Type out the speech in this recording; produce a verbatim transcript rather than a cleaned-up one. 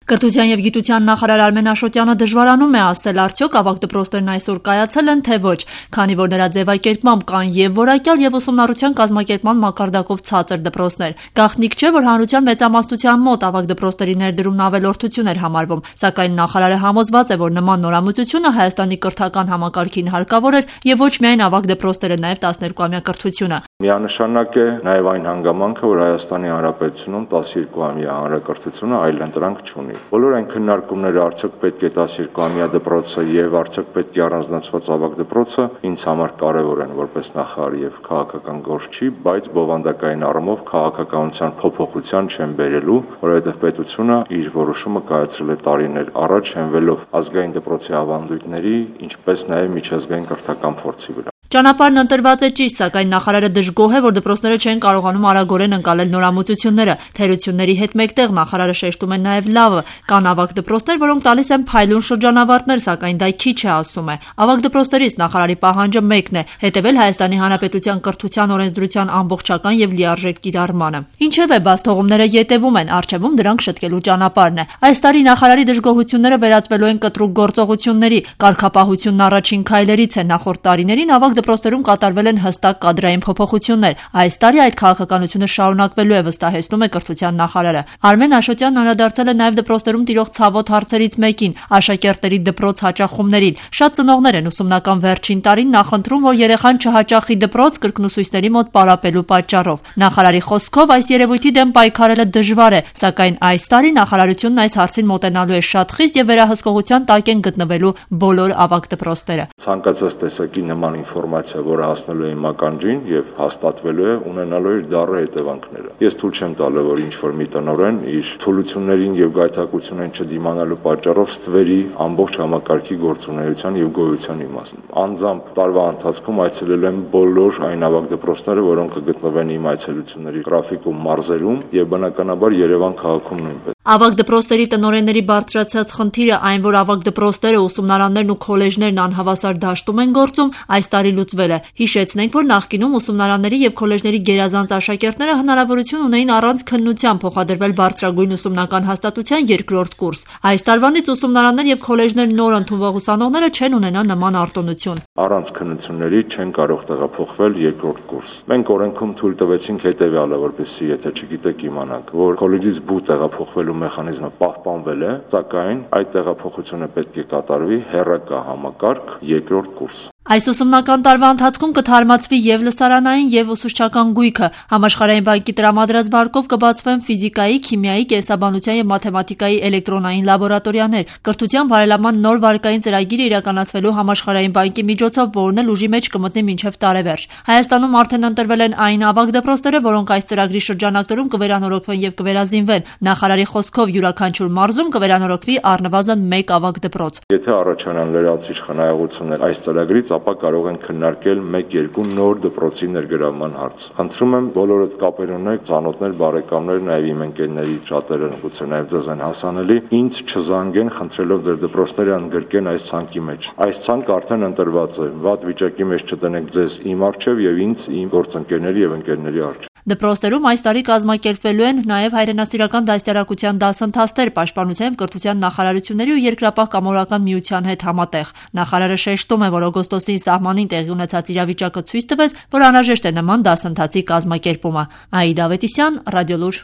Կրթության և գիտության նախարար Արմեն Աշոտյանը դժվարանում է ասել, արդյոք ավագ դպրոցներն այսօր կայացել են, թե ոչ, քանի որ նրա ձևակերպմամբ կան և որակյալ և ուսումնառության կազմակերպման մակարդակով ցածր դպրոցներ։ Գաղտնիք չէ, որ հանրության մեծամասնության մոտ ավագ դպրոցների ներդրումն ավելորդություն էր համարվում, սակայն նախարարը համոզված է, որ նման նորամուծությունը Հայաստանի կրթական համակարգին հարկավոր էր և ոչ միայն ավագ դպրոցները, նաև տասներկուամյա կրթությունը։ Միանշանակ է նաև այն հանգամանքը, որ Հայաստանի Հանրապետությունում տասներկուամյա հանրակրթությունը այլընտրանք չունի։ Բոլոր այն քննարկումները, արդյոք պետք է տասներկուամյա դպրոցը եւ արդյոք պետք է առանձնացված ավագ դպրոցը, ինձ համար կարեւոր են որպես նախարար եւ քաղաքական գործ չի, բայց բովանդակային առումով քաղաքականության փոփոխության չեն բերելու, որովհետեւ պետությունը իր որոշումը կայացրել է տարիներ առաջ, հենվելով ազգային դպրոցի ավանդույթների, ինչպես նաեւ միջազգային կրթական փորձի վրա։ Ճանապարհն ընտրված է ճիշտ, սակայն նախարարը դժգոհ է, որ դպրոցները չեն կարողանում արագորեն ընկալել նորամուծությունները։ Թերությունների հետ մեկտեղ նախարարը շեշտում է նաև լավը։ Կան ավագ դպրոցներ, որոնք տալիս են փայլուն շրջանավարտներ, սակայն դա քիչ է, ասում է։ Ավագ դպրոցներից նախարարի պահանջը մեկն է՝ հետևել Հայաստանի Հանրապետության կրթության օրենսդրության ամբողջական եւ լիարժեք կիրառմանը։ Ինչևէ, բացթողումները ետևում են, առջևում դրանք շտկելու ճանապարհն է։ Այս տարի նախարարի դժգոհությունները վերածվելու են կտրուկ գործողությունների։ Կարգապահությունն առաջին քայլերից է։ Նախորդ տարիներին ավագ դպրոցներում կատարվել են հստակ կադրային փոփոխություններ։ Այս տարի այդ քաղաքականությունը շարունակվելու է, վստահեցնում է կրթության նախարարը։ Արմեն Աշոտյանն անդրադարձել է նաև դպրոցներում տիրող ցավոտ հարցերից մեկին՝ աշակերտների դպրոց հաճախումներին։ Շատ ծնողներ են ուսումնական վերջին տարին նախընտրում, որ երեխան չհաճախի դպրոց կրկնուսույցների մոտ պարապելու պատճառով։ Նախարարի խոսքով այս երևույթի դեմ պայքարելը դժվար է, սակայն այս տարի նախարարությունն այս հարցին մոտենալու է շատ խիստ եւ վերահսկողության տակ են գտնվելու բոլոր ավագ դպրոցները։ Ցանկացած տեսակի նման ինֆորմացիա, որը հասնելու է իմ ականջին եւ հաստատվելու է, ունենալու է դառը հետևանքները։ Ես թույլ չեմ տալու, որ ինչ-որ մի տնօրեն իր թուլություններին եւ գայթակղություններին չդիմանալու պատճառով ստվերի ամբողջ համակարգի գործունեության եւ գոյության իմաստը։ Անձամբ տարվա ընթացքում այցելել եմ բոլոր այն ավագ դպրոցները, որոնք կգտնվեն իմ այցելությունների գրաֆիկում մարզերում եւ բնականաբար Երևան քաղաքում նույնպես։ Ավագ դպրոցների տնօրենների բարձրացած խնդիրը այն, որ ավագ դպրոցները, ուսումնարաններն ու քոլեջներն անհավասար դաշտում են գործում, այս տարի լուծվել է։ Հիշեցնենք, որ նախկինում ուսումնարանների եւ քոլեջների գերազանց աշակերտները հնարավորություն ունեին առանց քննության փոխադրվել բարձրագույն ուսումնական հաստատության երկրորդ կուրս։ Այս տարվանից ուսումնարաններ եւ քոլեջներ նոր ընդունվող ուսանողները չեն ունենա նման արտոնություն։ Առանց քննությունների չեն կարող տեղափոխվել երկրորդ կուրս։ Մենք օրենքում թույլ տվեցինք հետեւյալը, որպեսզի եթե չգիտեք իմանաք, որ քոլեջից բու տեղափոխվելու մեխանիզմը պահպանվել է, սակայն այդ տեղափոխությունը պետք է կատարվի հեռակա համակարգ երկրորդ կուրս։ Այս ուսումնական տարվա ընթացքում կթարմացվի եւ լսարանային եւ ուսուցչական գույքը։ Համաշխարհային բանկի տրամադրած վարկով կբացվեն ֆիզիկայի, քիմիայի, կենսաբանության եւ մաթեմատիկայի էլեկտրոնային լաբորատորիաներ։ Կրթության բարելավման նոր վարկային ծրագիրը իրականացվելու Համաշխարհային բանկի միջոցով, որն էլ ուժի մեջ կմտնի մինչեւ տարեվերջ։ Հայաստանում արդեն ընտրվել են այն ավագ դպրոցները, որոնք այս ծրագրի շրջանակներում կվերանորոգվեն եւ կվերազինվեն։ Նախարարի խոսքով յուրաքանչյուր մարզում կվերանորոգվի առնվազն մեկ ավագ դպրոց։ Եթե առաջանան լրացուցիչ խնայողություններ այս ծրագրից, ապա կարող են քննարկել մեկ-երկու նոր դպրոցի ներգրավման հարց։ Խնդրում եմ բոլորդ կապեր ունեք, ծանոթներ, բարեկամներ, նաև իմ ընկերների շատերը գուցե նաև ձեզ են հասանելի, ինձ չզանգեն խնդրելով ձեր դպրոցները ընդգրկեն այս ցանկի մեջ։ Այս ցանկը արդեն ընտրված է։ Վատ վիճակի մեջ չտնեք ձեզ իմ առջև եւ ինձ իմ գործընկերների եւ ընկերների առջև։ Դպրոցներում այս տարի կազմակերպվելու են նաև հայրենասիրական դաստիարակության դասընթացներ պաշտպանության եւ կրթության նախարարությունների ու Երկրապահ կամավորական միության հետ համատեղ։ Նախարարը շեշտում է, որ օգոստոսին սահմանին տեղի ունեցած իրավիճակը ցույց տվեց, որ անհրաժեշտ է նման դասընթացի կազմակերպումը։ Աիդա Ավետիսյան, Ռադիոլուր։